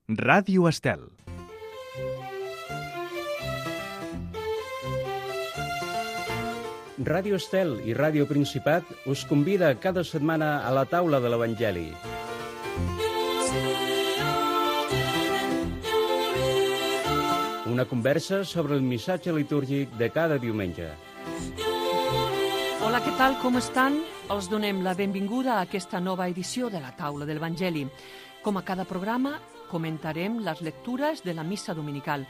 Ràdio Estel. Ràdio Estel i Ràdio Principat us convida cada setmana a la taula de l'Evangeli. Una conversa sobre el missatge litúrgic de cada diumenge. Hola, què tal? Com estan? Els donem la benvinguda a aquesta nova edició de la taula de l'Evangeli. Com a cada programa, comentarem les lectures de la missa dominical.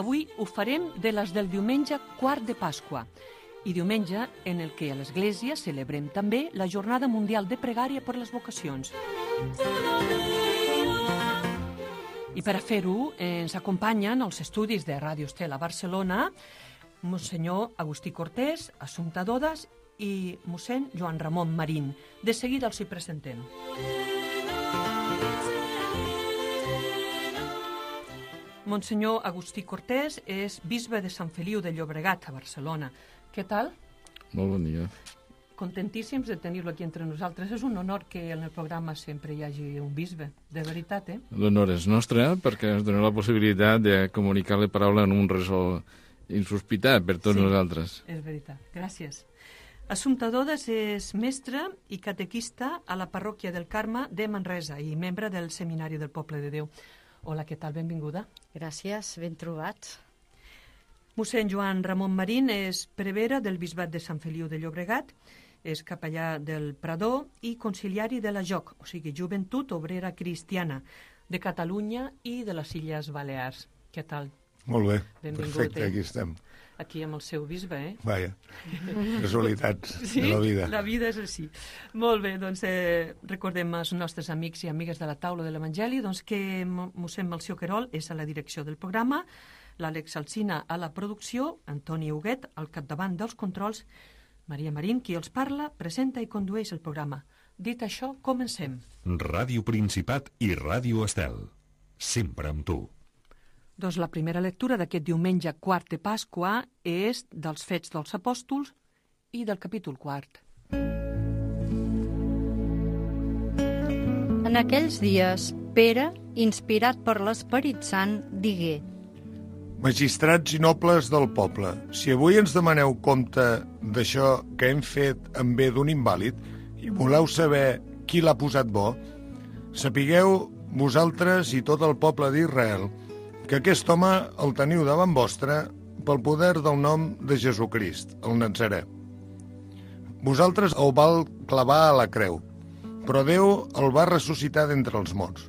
Avui ho farem de les del diumenge quart de Pasqua i diumenge en el que a l'Església celebrem també la Jornada Mundial de Pregària per les Vocacions. I per a fer-ho ens acompanyen els estudis de Ràdio Estel a Barcelona Monsenyor Agustí Cortés, Assumpta Dodes i mossèn Joan Ramon Marín. De seguida els hi presentem. Monsenyor Agustí Cortés és bisbe de Sant Feliu de Llobregat a Barcelona. Què tal? Molt bon dia. Contentíssims de tenir-lo aquí entre nosaltres. És un honor que en el programa sempre hi hagi un bisbe, de veritat, L'honor és nostre perquè ens dona la possibilitat de comunicar la paraula en un ressò insospitat per tots nosaltres. És veritat. Gràcies. Assumpta Dodes és mestra i catequista a la parròquia del Carme de Manresa i membre del Seminari del Poble de Déu. Hola, què tal? Benvinguda. Gràcies, ben trobats. Mossèn Joan Ramon Marín és prevere del Bisbat de Sant Feliu de Llobregat, és capellà del Prador i conciliari de la JOC, o sigui, Joventut Obrera Cristiana, de Catalunya i de les Illes Balears. Què tal? Molt bé, Benvingut, perfecte, aquí estem. Aquí amb el seu bisbe, Vaja, casualitats de la vida. La vida és així. Molt bé, doncs recordem als nostres amics i amigues de la taula de l'Evangeli que mossèn Melcior Querol és a la direcció del programa, l'Àlex Alsina a la producció, Antoni Huguet al capdavant dels controls, Maria Marín, qui els parla, presenta i condueix el programa. Dit això, comencem. Ràdio Principat i Ràdio Estel. Sempre amb tu. Doncs la primera lectura d'aquest diumenge quart de Pasqua és dels Fets dels Apòstols i del capítol quart. En aquells dies, Pere, inspirat per l'Esperit Sant, digué: Magistrats i nobles del poble, si avui ens demaneu compte d'això que hem fet en bé d'un invàlid i voleu saber qui l'ha posat bo, sapigueu vosaltres i tot el poble d'Israel que aquest home el teniu davant vostre pel poder del nom de Jesucrist, el Natzarè. Vosaltres el vau clavar a la creu, però Déu el va ressuscitar d'entre els morts.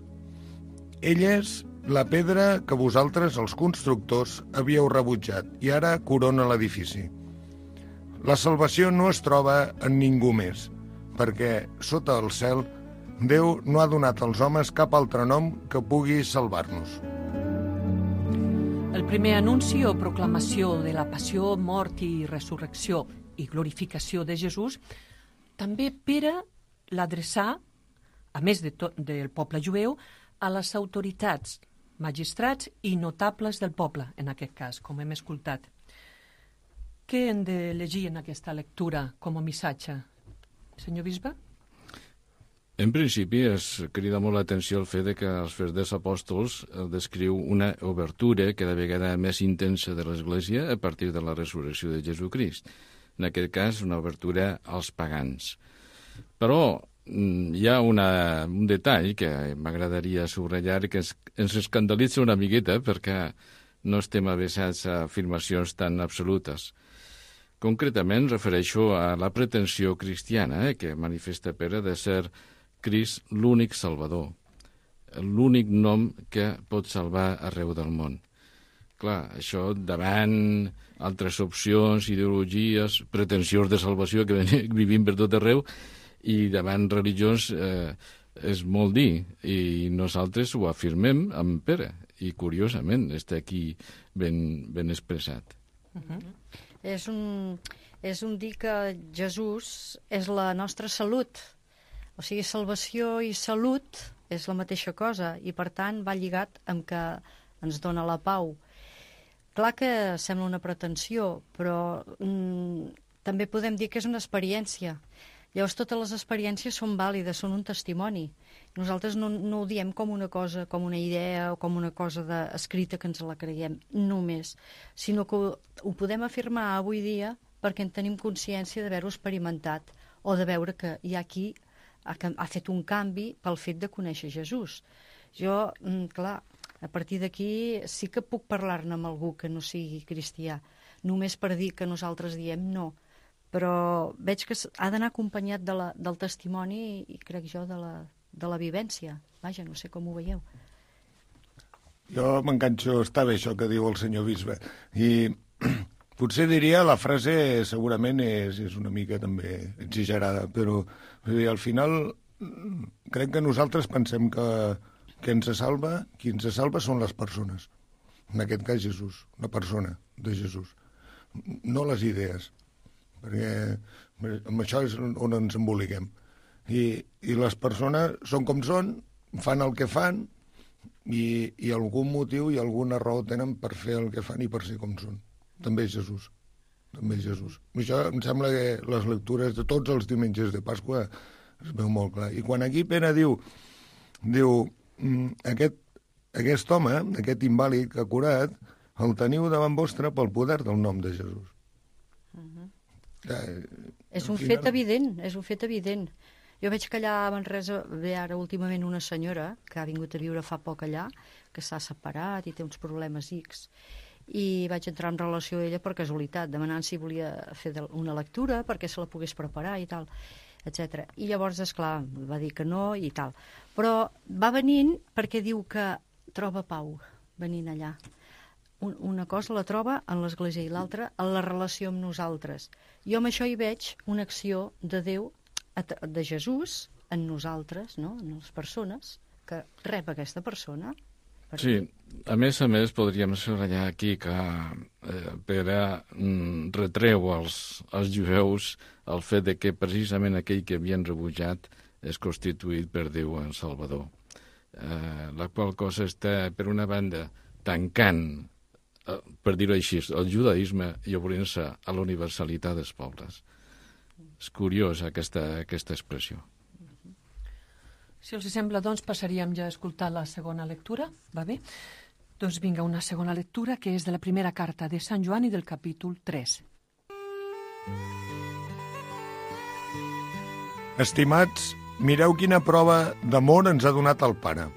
Ell és la pedra que vosaltres, els constructors, havíeu rebutjat i ara corona l'edifici. La salvació no es troba en ningú més, perquè sota el cel Déu no ha donat als homes cap altre nom que pugui salvar-nos. El primer anunci o proclamació de la passió, mort i resurrecció i glorificació de Jesús, també Pere l'adreçà, a més del poble jueu, a les autoritats, magistrats i notables del poble, en aquest cas, com hem escoltat. Què hem de llegir en aquesta lectura com a missatge? Senyor bisbe? En principi es crida molt l'atenció el fet que els Fets dels Apòstols descriu una obertura cada vegada més intensa de l'Església a partir de la resurrecció de Jesucrist. En aquest cas, una obertura als pagans. Però hi ha un detall que m'agradaria subratllar que ens escandalitza una miqueta perquè no estem avesats a afirmacions tan absolutes. Concretament refereixo a la pretensió cristiana que manifesta Pere de ser Crist l'únic salvador, l'únic nom que pot salvar arreu del món. Clar, això davant altres opcions, ideologies, pretensions de salvació que vivim per tot arreu i davant religions és molt dir i nosaltres ho afirmem amb Pere i curiosament està aquí ben expressat. És un dir que Jesús és la nostra salut. O sigui, salvació i salut és la mateixa cosa i, per tant, va lligat amb que ens dona la pau. Clar que sembla una pretensió, però també podem dir que és una experiència. Llavors, totes les experiències són vàlides, són un testimoni. Nosaltres no ho diem com una cosa, com una idea o com una cosa escrita que ens la creiem només, sinó que ho podem afirmar avui dia perquè en tenim consciència d'haver-ho experimentat o de veure que hi ha qui ha fet un canvi pel fet de conèixer Jesús. Jo, clar, a partir d'aquí sí que puc parlar-ne amb algú que no sigui cristià, només per dir que nosaltres diem no, però veig que ha d'anar acompanyat del testimoni i crec jo de la vivència. Vaja, no sé com ho veieu. Jo m'enganxo, està bé això que diu el senyor bisbe, i potser diria la frase segurament és una mica també exagerada, però al final crec que nosaltres pensem que qui ens salva són les persones. En aquest cas Jesús, la persona de Jesús, no les idees, perquè amb això és on ens emboliquem. I les persones són com són, fan el que fan, i algun motiu i alguna raó tenen per fer el que fan i per ser com són. També és Jesús. També és Jesús. Això em sembla que les lectures de tots els diumenges de Pasqua es veu molt clar. I quan aquí Pere diu aquest home, aquest invàlid que ha curat, el teniu davant vostre pel poder del nom de Jesús. És un fet evident, és un fet evident. Jo veig que allà a Manresa ve ara últimament una senyora que ha vingut a viure fa poc allà, que s'ha separat i té uns problemes X. I vaig entrar en relació amb ella per casualitat, demanant si volia fer una lectura perquè se la pogués preparar i tal, etc. I llavors, esclar, va dir que no i tal. Però va venint perquè diu que troba pau venint allà. Una cosa la troba en l'Església i l'altra en la relació amb nosaltres. Jo amb això hi veig una acció de Déu, de Jesús, en nosaltres, no? En les persones, que rep aquesta persona. Sí, a més, podríem subratllar aquí que Pere retreu als jueus el fet de que precisament aquell que havien rebutjat és constituït per Déu en Salvador. La qual cosa està, per una banda, tancant, per dir-ho així, el judaïsme i obrint-se a la universalitat dels pobles. És curiós aquesta expressió. Si els sembla, doncs, passaríem ja a escoltar la segona lectura, va bé? Doncs vinga, una segona lectura, que és de la primera carta de Sant Joan i del capítol 3. Estimats, mireu quina prova d'amor ens ha donat el Pare.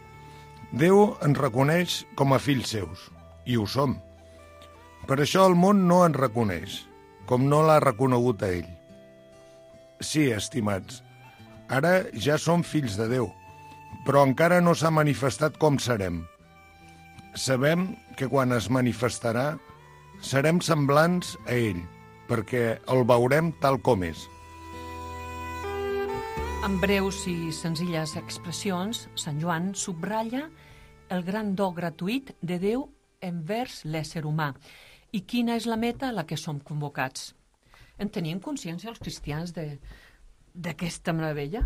Déu ens reconeix com a fills seus, i ho som. Per això el món no ens reconeix, com no l'ha reconegut a ell. Sí, estimats, ara ja som fills de Déu, però encara no s'ha manifestat com serem. Sabem que quan es manifestarà serem semblants a ell, perquè el veurem tal com és. En breus i senzilles expressions, Sant Joan subratlla el gran do gratuït de Déu envers l'ésser humà. I quina és la meta a la que som convocats? En tenim consciència els cristians d'aquesta meravella?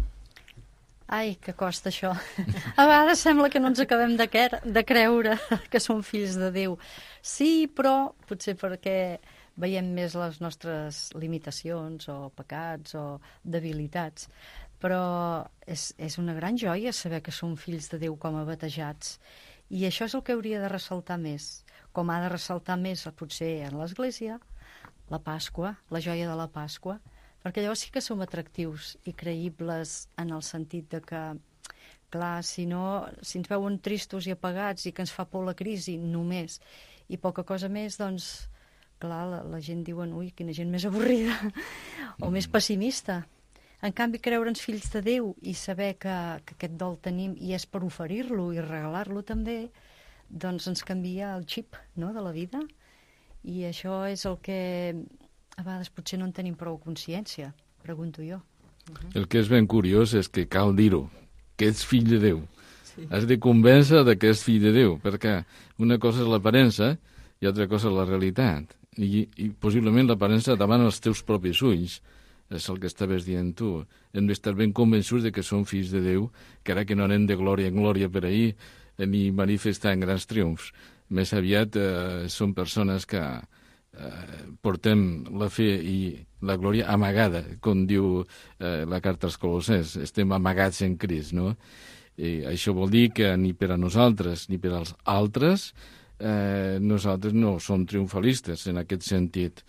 Ai, que costa això. A vegades sembla que no ens acabem de creure que som fills de Déu. Sí, però potser perquè veiem més les nostres limitacions o pecats o debilitats. Però és una gran joia saber que som fills de Déu com a batejats. I això és el que hauria de ressaltar més. Com ha de ressaltar més potser en l'Església, la Pasqua, la joia de la Pasqua, perquè llavors sí que som atractius i creïbles en el sentit de que, clar, si ens veuen tristos i apagats i que ens fa por la crisi només i poca cosa més, doncs, clar, la gent diuen, ui, quina gent més avorrida o més pessimista. En canvi, creure'ns fills de Déu i saber que aquest dol tenim i és per oferir-lo i regalar-lo també, doncs ens canvia el xip, no?, de la vida. I això és el que a vegades potser no en tenim prou consciència, pregunto jo. El que és ben curiós és que cal dir-ho, que ets fill de Déu. Sí. Has de convèncer que ets fill de Déu, perquè una cosa és l'aparença i altra cosa és la realitat. I possiblement l'aparença davant els teus propis ulls. És el que estaves dient tu. Hem d'estar ben convençuts de que som fills de Déu, que ara que no anem de glòria en glòria per ahir, ni manifestar en grans triomfs. Més aviat són persones que portem la fe i la glòria amagada, com diu la carta als Colossers. Estem amagats en Crist, no? I això vol dir que ni per a nosaltres ni per als altres nosaltres no som triomfalistes en aquest sentit,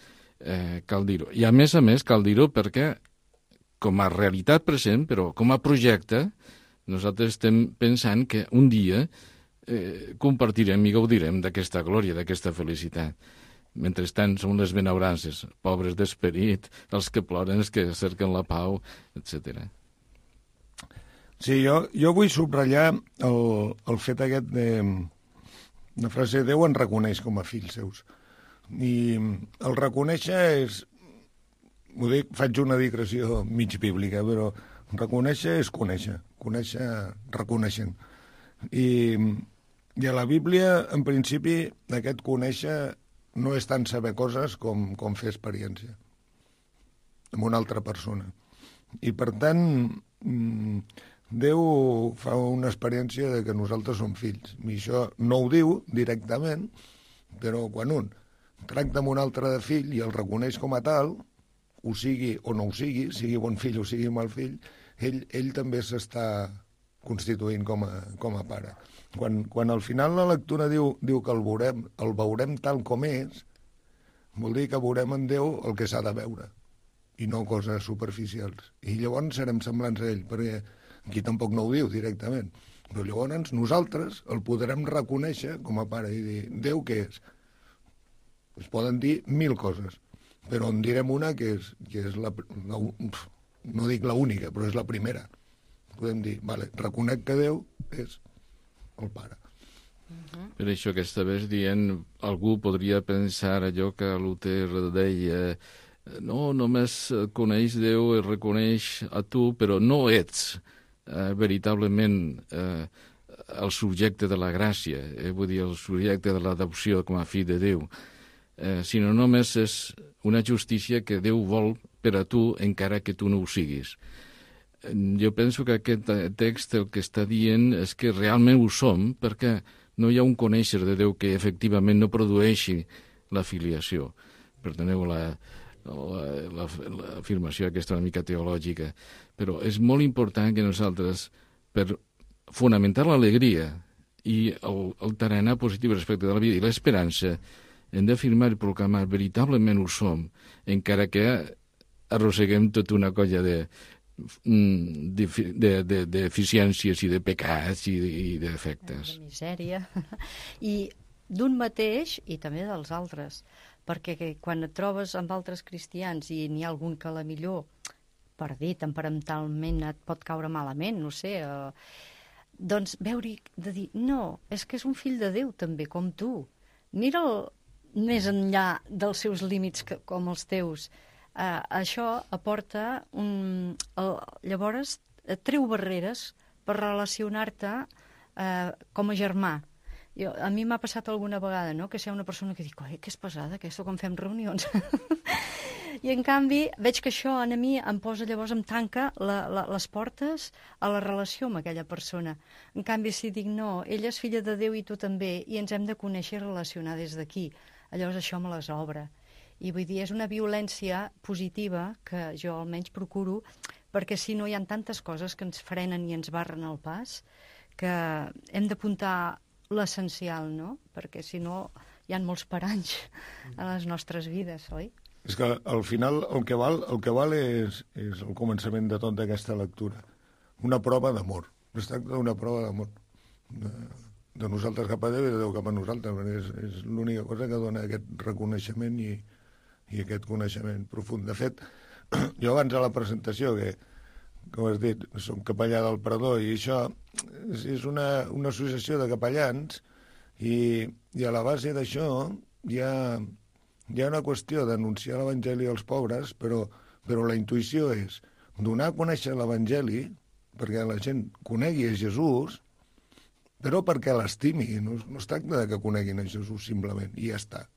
cal dir-ho. I a més, cal dir-ho perquè com a realitat present, però com a projecte, nosaltres estem pensant que un dia compartirem i gaudirem d'aquesta glòria, d'aquesta felicitat. Mentrestant som les benaurances, pobres d'esperit, els que ploren, els que cerquen la pau, etc. Sí, jo vull subratllar el fet aquest de la frase Déu ens reconeix com a fills seus. I el reconèixer és, ho dic, faig una digressió mig bíblica, però reconèixer és conèixer reconeixent. I a la Bíblia, en principi, aquest conèixer no és tant saber coses com fer experiència amb una altra persona. I, per tant, Déu fa una experiència de que nosaltres som fills. I això no ho diu directament, però quan un tracta amb un altre de fill i el reconeix com a tal, ho sigui o no ho sigui bon fill o sigui mal fill, ell també s'està constituint com a pare. Quan al final la lectura diu que el veurem tal com és, vol dir que veurem en Déu el que s'ha de veure, i no coses superficials. I llavors serem semblants a ell, perquè aquí tampoc no ho diu directament, però llavors nosaltres el podrem reconèixer com a pare i dir, Déu què és? Es poden dir 1000 coses, però en direm una que és no dic l'única, però és la primera. Podem dir, vale, reconec que Déu és el pare. Per això que estaves dient, algú podria pensar allò que Luter deia, no, només coneix Déu i reconeix a tu, però no ets veritablement el subjecte de la gràcia, vull dir, el subjecte de l'adopció com a fill de Déu, sinó només és una justícia que Déu vol per a tu, encara que tu no ho siguis. Jo penso que aquest text el que està dient és que realment ho som, perquè no hi ha un conèixer de Déu que efectivament no produeixi la filiació. Perdoneu l'afirmació aquesta una mica teològica, però és molt important que nosaltres, per fonamentar l'alegria i el tarannà positiu respecte de la vida i l'esperança, hem d'afirmar i proclamar veritablement ho som, encara que arrosseguem tota una colla deficiències i de pecats i de defectes. De misèria. I d'un mateix i també dels altres, perquè quan et trobes amb altres cristians i n'hi ha algun que a la millor, per dir temperamentalment, et pot caure malament, no sé, doncs veure-hi de dir, no, és que és un fill de Déu també, com tu. Mira'l més enllà dels seus límits com els teus. Això aporta llavors treu barreres per relacionar-te com a germà. A mi m'ha passat alguna vegada, no?, que si hi ha una persona que dic, que és pesada, aquesta quan fem reunions. I en canvi veig que això a mi em posa, llavors em tanca les portes a la relació amb aquella persona. En canvi, si dic, no, ella és filla de Déu i tu també, i ens hem de conèixer i relacionar des d'aquí, llavors això me les obre. I vull dir, és una violència positiva que jo almenys procuro, perquè si no hi ha tantes coses que ens frenen i ens barren el pas, que hem d'apuntar l'essencial, no? Perquè si no hi ha molts paranys a les nostres vides, oi? És que al final el que val és el començament de tota aquesta lectura. Una prova d'amor. Es tracta d'una prova d'amor. De nosaltres cap a Déu i de Déu cap a nosaltres. És l'única cosa que dona aquest reconeixement i aquest coneixement profund. De fet, jo abans a la presentació, que com has dit, som capellà del Perdó, i això és una associació de capellans, i a la base d'això hi ha una qüestió d'anunciar l'Evangeli als pobres, però la intuïció és donar a conèixer l'Evangeli perquè la gent conegui a Jesús, però perquè l'estimi. No es tracta de que coneguin a Jesús simplement, i ja està.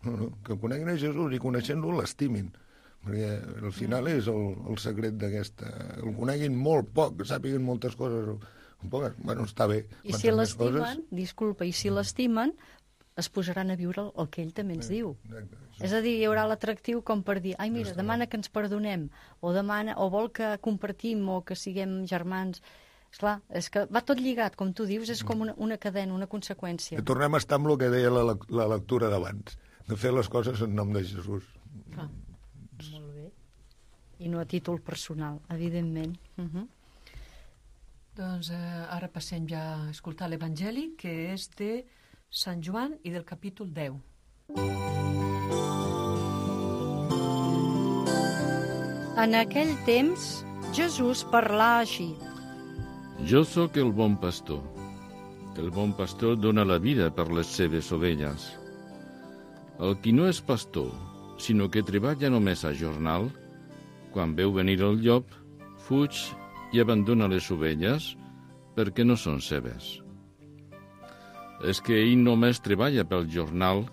No, que coneguin a Jesús i coneixent-lo l'estimin, perquè al final és el secret d'aquesta. El coneguin molt poc, sàpiguen moltes coses, poques, bueno, està bé. I si l'estimen, i si l'estimen, es posaran a viure el que ell també ens diu. Exacte. És a dir, hi haurà l'atractiu com per dir, ai, mira, demana que ens perdonem, o vol que compartim o que siguem germans. Esclar, és que va tot lligat, com tu dius, és com una cadena, una conseqüència. Que tornem a estar amb el que deia la lectura d'abans, de fer les coses en nom de Jesús. Clar, molt bé. I no a títol personal, evidentment. Doncs ara passem ja a escoltar l'Evangeli, que és de Sant Joan i del capítol 10. En aquell temps, Jesús parlà així. Jo sóc el bon pastor. El bon pastor dona la vida per les seves ovelles. El qui no és pastor, sinó que treballa només a jornal, quan veu venir el llop, fuig i abandona les ovelles perquè no són seves. És que ell només treballa pel jornal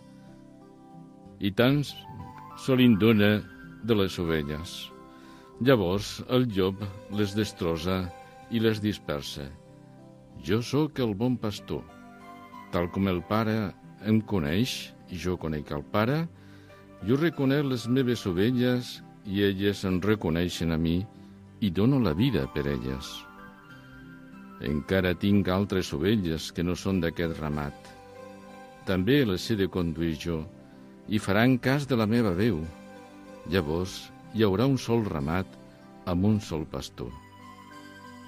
i tant se li dona de les ovelles. Llavors el llop les destrossa i les dispersa. Jo sóc el bon pastor. Tal com el Pare em coneix i jo conec el Pare, jo reconec les meves ovelles i elles em reconeixen a mi i dono la vida per elles. Encara tinc altres ovelles que no són d'aquest ramat. També les he de conduir jo i faran cas de la meva veu. Llavors hi haurà un sol ramat amb un sol pastor.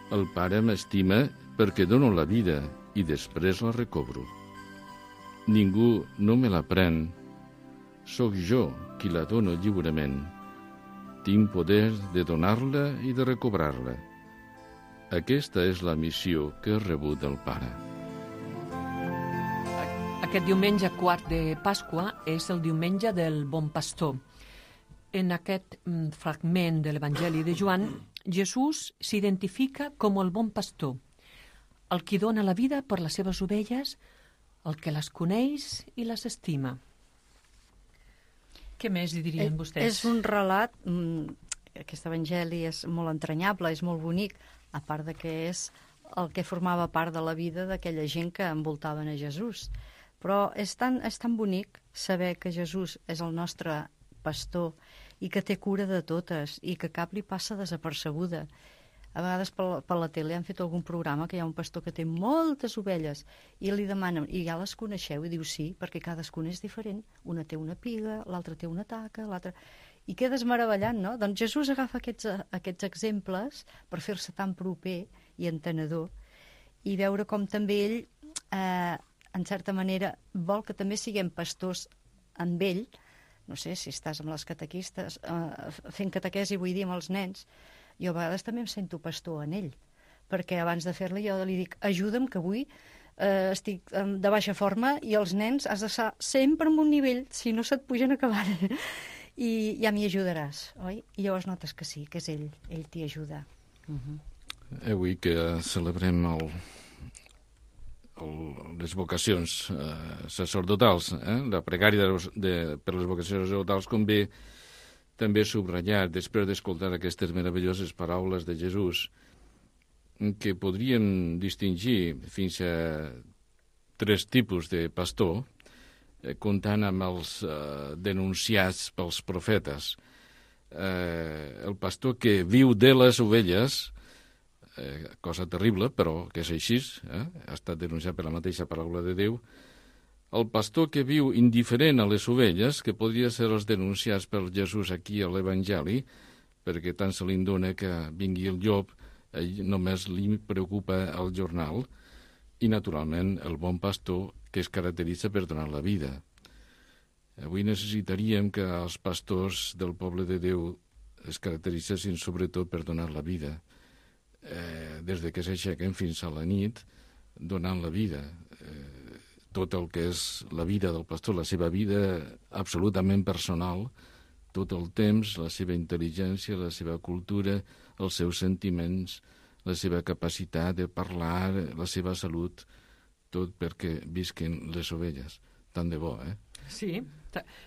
El Pare m'estima perquè dono la vida i després la recobro. Ningú no me la pren. Sóc jo qui la dono lliurement. Tinc poder de donar-la i de recobrar-la. Aquesta és la missió que he rebut del Pare. Aquest diumenge quart de Pasqua és el diumenge del Bon Pastor. En aquest fragment de l'Evangeli de Joan, Jesús s'identifica com el bon pastor, el qui dona la vida per les seves ovelles, el que les coneix i les estima. Què més hi dirien vostès? És un relat, aquest evangeli és molt entranyable, és molt bonic, a part de que és el que formava part de la vida d'aquella gent que envoltaven a Jesús. Però és tan bonic saber que Jesús és el nostre pastor i que té cura de totes i que cap li passa desapercebuda. A vegades per la tele han fet algun programa que hi ha un pastor que té moltes ovelles i li demanen, i ja les coneixeu? I diu sí, perquè cadascuna és diferent. Una té una piga, l'altra té una taca, l'altra... I quedes meravellant, no? Doncs Jesús agafa aquests exemples per fer-se tan proper i entenedor i veure com també ell, en certa manera, vol que també siguem pastors amb ell. No sé, si estàs amb les catequistes, fent catequesi, vull dir, amb els nens, jo a vegades també em sento pastor en ell, perquè abans de fer-la jo li dic, ajuda'm, que avui estic de baixa forma i els nens has d'estar sempre en un nivell, si no se't pugen acabant. I ja m'hi ajudaràs, oi? I llavors notes que sí, que és ell t'hi ajuda. Avui que celebrem les vocacions sacerdotals, la pregària per les vocacions sacerdotals, convé també subratllar, després d'escoltar aquestes meravelloses paraules de Jesús, que podríem distingir fins a 3 tipus de pastor, comptant amb els denunciats pels profetes. El pastor que viu de les ovelles, cosa terrible, però que és així, ha estat denunciat per la mateixa paraula de Déu. El pastor que viu indiferent a les ovelles, que podria ser els denunciats per Jesús aquí a l'Evangeli, perquè tant se li dona que vingui el llop, només li preocupa el jornal, i naturalment el bon pastor que es caracteritza per donar la vida. Avui necessitaríem que els pastors del poble de Déu es caracteritzessin sobretot per donar la vida. Des de que s'aixequen fins a la nit, donant la vida. Tot el que és la vida del pastor, la seva vida absolutament personal, tot el temps, la seva intel·ligència, la seva cultura, els seus sentiments, la seva capacitat de parlar, la seva salut, tot perquè visquen les ovelles. Tant de bo, Sí,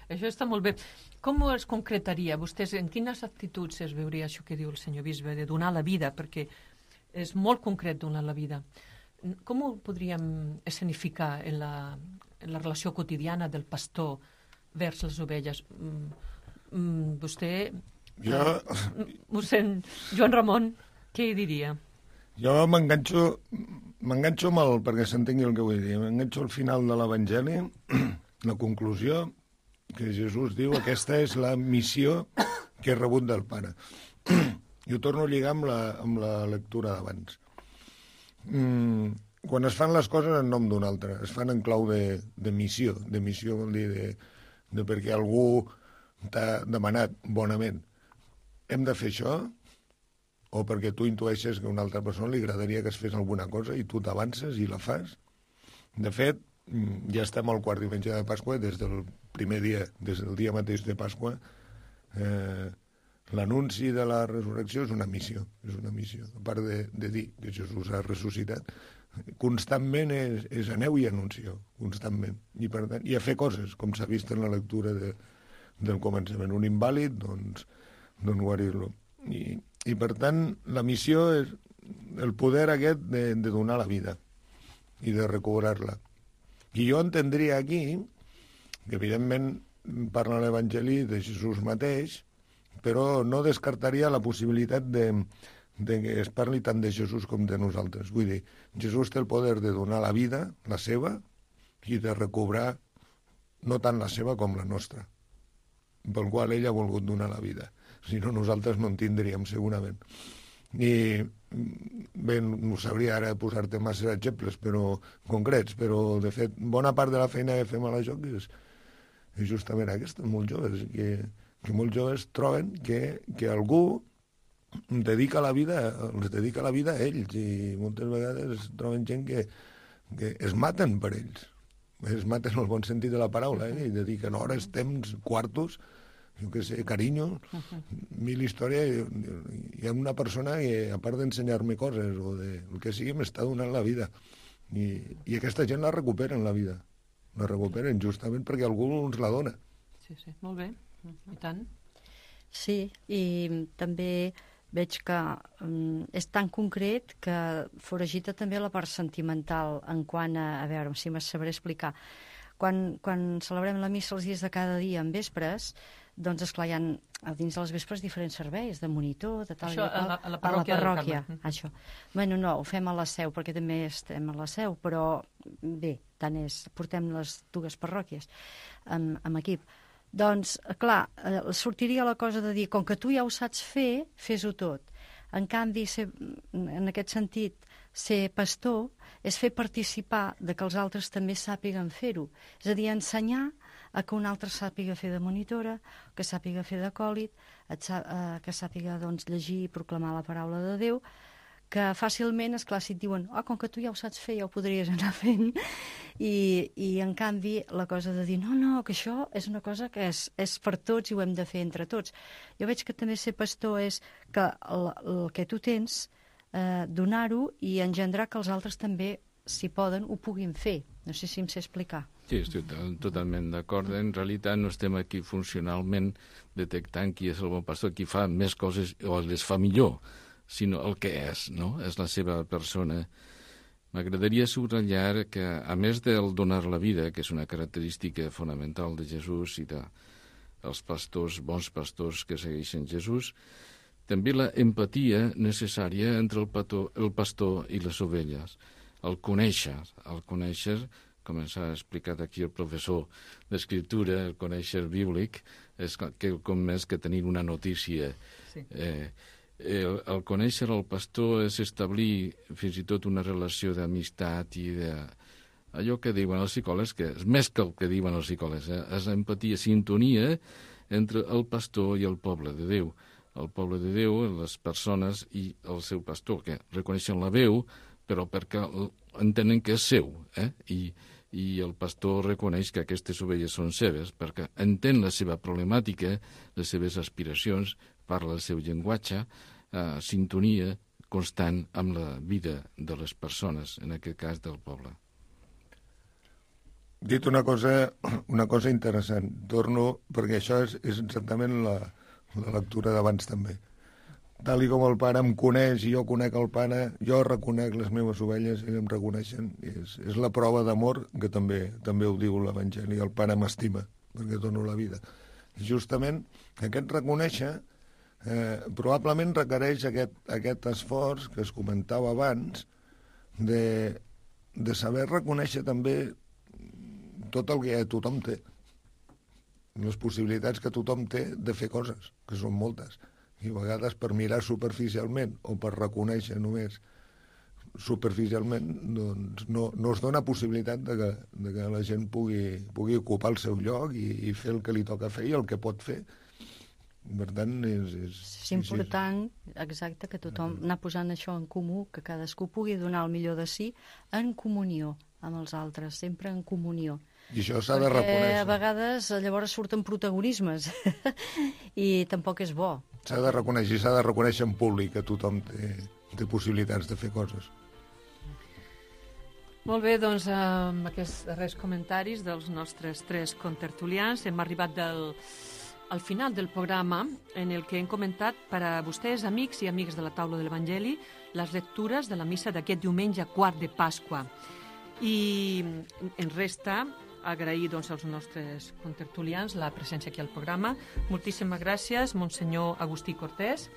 això està molt bé. Com es concretaria? Vostès, en quines actituds es veuria això que diu el senyor bisbe, de donar la vida? Perquè és molt concret donar la vida. Com ho podríem escenificar en la relació quotidiana del pastor vers les ovelles? Vostè, mossèn Joan Ramon, què hi diria? Jo m'enganxo amb el, perquè s'entengui el que vull dir, m'enganxo al final de l'Evangeli, la conclusió, que Jesús diu, aquesta és la missió que he rebut del Pare. I ho torno a lligar amb la lectura d'abans. Quan es fan les coses en nom d'un altre, es fan en clau de missió. De missió vol dir de perquè algú t'ha demanat bonament. Hem de fer això? O perquè tu intueixes que a una altra persona li agradaria que es fes alguna cosa i tu t'avances i la fas? De fet, ja estem al quart diumenge de Pasqua, des del primer dia, des del dia mateix de Pasqua, l'anunci de la resurrecció és una missió. A part de dir que Jesús ha ressuscitat, constantment és aneu i anuncieu, constantment. I, per tant, i a fer coses, com s'ha vist en la lectura del començament. Un invàlid, doncs guarir-lo. I per tant, la missió és el poder aquest de donar la vida i de recobrar-la. I jo entendria aquí que, evidentment, parla l'Evangeli de Jesús mateix, però no descartaria la possibilitat de que es parli tant de Jesús com de nosaltres. Vull dir, Jesús té el poder de donar la vida, la seva, i de recobrar no tant la seva com la nostra, pel qual ell ha volgut donar la vida. Si no, nosaltres no en tindríem, segurament. I bé, no sabria ara posar-te massa exemples concrets, però de fet bona part de la feina que fem a la JOC és justament aquesta, molts joves, que molts joves troben que algú els dedica la vida a ells, i moltes vegades troben gent que es maten per ells. Es maten en el bon sentit de la paraula, i dediquen hores, temps, quartos, jo què sé, carinyo, mil històries. Hi ha una persona que, a part d'ensenyar-me coses o el que sigui, m'està donant la vida. I aquesta gent la recuperen, la vida. La recuperen justament perquè algú ens la dona. Sí, molt bé. I tant. Sí, i també veig que és tan concret que foragita també la part sentimental en quant a veure si me sabré explicar. Quan celebrem la missa els dies de cada dia en vespres, doncs, esclar, hi ha dins de les vespres diferents serveis, de monitor, de tal això, i tal. a la parròquia. Això. Bueno, no, ho fem a la Seu, perquè també estem a la Seu, però bé, tant és, portem les dues parròquies amb equip. Doncs, clar, sortiria la cosa de dir, com que tu ja ho saps fer, fes-ho tot. En canvi, en aquest sentit, ser pastor és fer participar de que els altres també sàpiguen fer-ho. És a dir, ensenyar a que un altre sàpiga fer de monitora, que sàpiga fer d'acòlit, que sàpiga doncs, llegir i proclamar la paraula de Déu, que fàcilment, esclar, si et diuen com que tu ja ho saps fer, ja ho podries anar fent, i en canvi la cosa de dir no, que això és una cosa que és per tots i ho hem de fer entre tots. Jo veig que també ser pastor és que el que tu tens, donar-ho i engendrar que els altres també, si poden, ho puguin fer. No sé si em sé explicar. Sí, estic totalment d'acord. En realitat no estem aquí funcionalment detectant qui és el bon pastor, qui fa més coses o les fa millor, sinó el que és, no? És la seva persona. M'agradaria subratllar que, a més del donar la vida, que és una característica fonamental de Jesús i dels pastors, bons pastors que segueixen Jesús, també la empatia necessària entre el pastor i les ovelles. El conèixer, com ens ha explicat aquí el professor d'escriptura, el conèixer bíblic, és quelcom més que tenir una notícia. Sí. El conèixer el pastor és establir fins i tot una relació d'amistat i allò que diuen els psicòlegs, que és més que el que diuen els psicòlegs, és empatia, sintonia entre el pastor i el poble de Déu. El poble de Déu, les persones i el seu pastor, que reconeixen la veu, però perquè entenen que és seu, i el pastor reconeix que aquestes ovelles són seves, perquè entén la seva problemàtica, les seves aspiracions, parla el seu llenguatge, sintonia constant amb la vida de les persones, en aquest cas del poble. Dit una cosa interessant, torno, perquè això és exactament la lectura d'abans també. Tal com el pare em coneix i jo conec el pare, jo reconec les meves ovelles, ells em reconeixen. És la prova d'amor que també ho diu l'Evangeli. El pare m'estima perquè dono la vida. Justament aquest reconèixer probablement requereix aquest esforç que es comentava abans de saber reconèixer també tot el que tothom té, les possibilitats que tothom té de fer coses, que són moltes. I a vegades per mirar superficialment o per reconèixer només superficialment, doncs no es dona possibilitat de que la gent pugui ocupar el seu lloc i fer el que li toca fer i el que pot fer. Per tant, és important, exacte, que tothom anar posant això en comú, que cadascú pugui donar el millor de si en comunió amb els altres, sempre en comunió. I això s'ha de reconèixer. Perquè a vegades llavors surten protagonismes i tampoc és bo. S'ha de reconèixer, i s'ha de reconèixer en públic que tothom té possibilitats de fer coses. Molt bé, doncs amb aquests darrers comentaris dels nostres 3 contertulians hem arribat al final del programa en el que hem comentat per a vostès, amics i amigues de la taula de l'Evangeli, les lectures de la missa d'aquest diumenge quart de Pasqua. I ens resta agrair als nostres contertulians la presència aquí al programa. Moltíssimes gràcies, Monsenyor Agustí Cortés.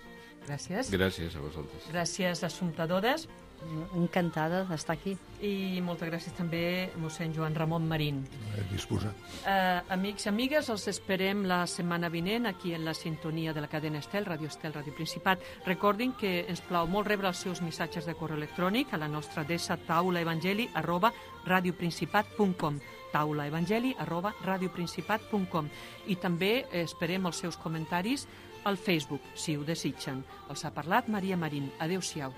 Gràcies. Gràcies a vosaltres. Gràcies, Assumpta Dodes. Encantada d'estar aquí. I moltes gràcies també, mossèn Joan Ramon Marín. Disposat. Amics i amigues, els esperem la setmana vinent aquí en la sintonia de la cadena Estel, Ràdio Estel, Ràdio Principat. Recordin que ens plau molt rebre els seus missatges de correu electrònic a la nostra adreça taulaevangeli@radioprincipat.com taulaevangeli@radioprincipat.com i també esperem els seus comentaris al Facebook, si ho desitgen. Els ha parlat Maria Marín. Adéu-siau.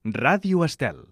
Ràdio Estel.